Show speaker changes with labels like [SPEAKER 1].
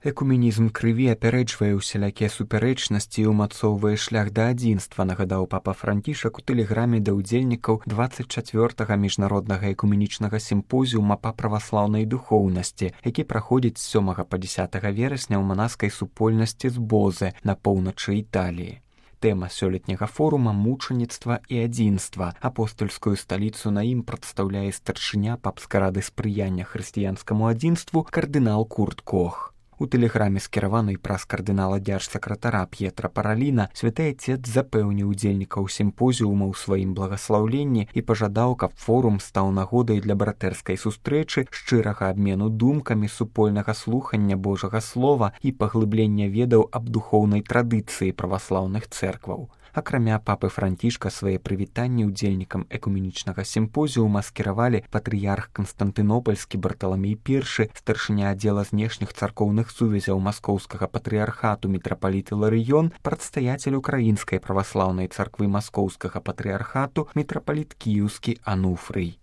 [SPEAKER 1] Экуменізм крыві апярэджвае ўсялякія супярэчнасці і ўмацоўвае шлях да адзінства, нагадаў папа Францішак у тэлеграме да ўдзельнікаў 24-га міжнароднага экуменічнага сімпозіума па праваслаўнай духоўнасці, які праходзіць з 7 па 10 верасня ў манаскай супольнасці з Бозе на поўначы Італіі. Тэма сёлетняга форума мучаніцтва і адзінства. Апостольскую сталіцу на ім прадстаўляе старшыня папскай рады спрыяння хрысціянскаму адзінству кардынал Курт Кох. У тэлеграме, скіраванай праз кардынала дзяржсакратара П'етра Параліна, святы Отец запэўніў удзельнікаў сімпозіума ў сваім благаслаўленні і пажадаў, каб форум стаў нагодай для братэрскай сустрэчы, шчырага абмену думкамі, супольнага слухання Божага слова і паглыблення ведаў аб духоўнай традыцыі праваслаўных цэркваў. Акрамя папы Францішка свае прывітанні удзельнікам экуменічнага сімпозіума скіравалі патрыярх Канстантынопольскі Барталамей I, старшыня аддзела знешніх царкоўных сувязяў маскоўскага патрыярхату мітрапаліт Іларыён, прадстаяцель Украінскай праваслаўнай царквы маскоўскага патрыярхату мітрапаліт Кіеўскі Ануфрый.